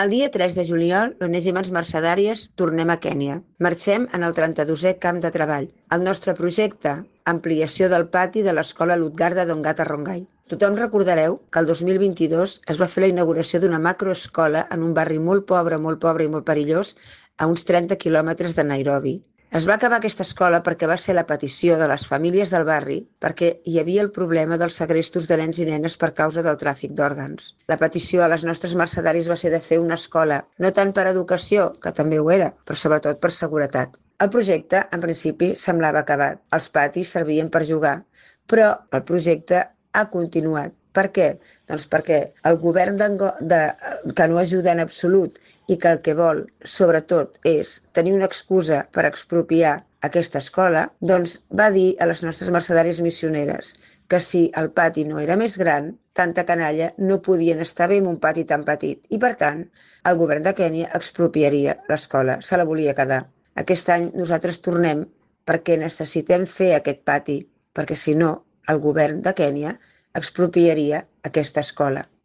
El dia 3 de juliol, l'Onèsimes Mercedàries, tornem a Kènia. Marxem en el 32è camp de treball. El nostre projecte, ampliació del pati de l'escola Lutgarda d'Ongata Rongai. Tothom recordareu que el 2022 es va fer la inauguració d'una macroescola en un barri molt pobre i molt perillós, a uns 30 quilòmetres de Nairobi. Es va acabar aquesta escola perquè va ser la petició de les famílies del barri perquè hi havia el problema dels segrestos de nens i nenes per causa del tràfic d'òrgans. La petició a les nostres mercedaris va ser de fer una escola, no tant per educació, que també ho era, però sobretot per seguretat. El projecte, en principi, semblava acabat. Els patis servien per jugar, però el projecte ha continuat. Per què? Doncs perquè el govern que no ajuda en absolut i que el que vol, sobretot, és tenir una excusa per expropiar aquesta escola, doncs va dir a les nostres mercedàries missioneres que si el pati no era més gran, tanta canalla no podien estar bé en un pati tan petit i, per tant, el govern de Kènia expropiaria l'escola, se la volia quedar. Aquest any nosaltres tornem perquè necessitem fer aquest pati, perquè si no, el govern de Kènia expropiaria aquesta escola.